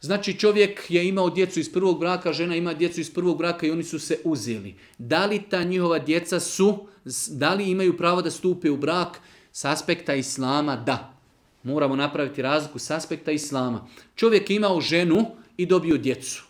Znači čovjek je imao djecu iz prvog braka, žena ima djecu iz prvog braka i oni su se uzeli. Da li ta njihova djeca da li imaju pravo da stupe u brak? S aspekta islama da. Moramo napraviti razliku s aspekta islama. Čovjek je imao ženu i dobio djecu.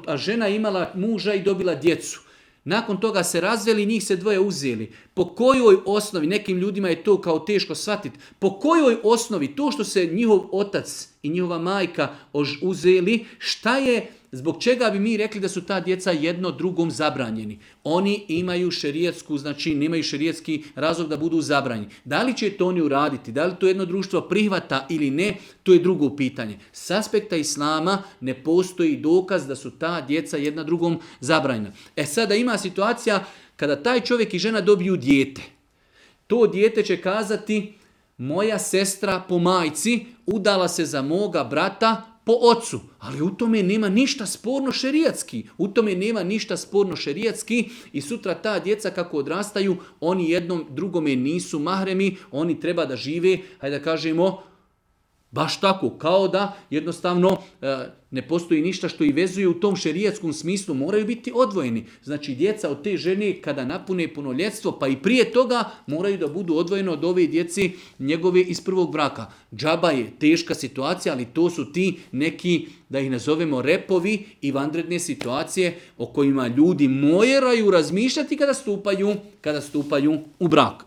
A žena je imala muža i dobila djecu. Nakon toga se razveli, njih se dvoje uzeli. Po kojoj osnovi, nekim ljudima je to kao teško shvatiti, po kojoj osnovi to što se njihov otac i njihova majka uzeli, šta je, zbog čega bi mi rekli da su ta djeca jedno drugom zabranjeni? Oni imaju šerijetsku, znači nemaju šerijetski razlog da budu zabranjeni. Da li će to oni uraditi, da li to jedno društvo prihvata ili ne, to je drugo pitanje. S aspekta islama ne postoji dokaz da su ta djeca jedna drugom zabranjena. Sada ima situacija kada taj čovjek i žena dobiju dijete. To dijete će kazati, moja sestra po majci udala se za moga brata po ocu, ali u tome nema ništa sporno šerijatski. U tome nema ništa sporno šerijatski i sutra ta djeca kako odrastaju, oni jednom drugome nisu mahremi, oni treba da žive, hajde da kažemo, baš tako, kao da jednostavno ne postoji ništa što i vezuje u tom šerijatskom smislu, moraju biti odvojeni. Znači djeca od te žene kada napune punoljetstvo, pa i prije toga moraju da budu odvojene od ove djeci njegove iz prvog braka. Džaba je teška situacija, ali to su ti neki, da ih nazovemo repovi i vanredne situacije o kojima ljudi moraju razmišljati kada stupaju u brak.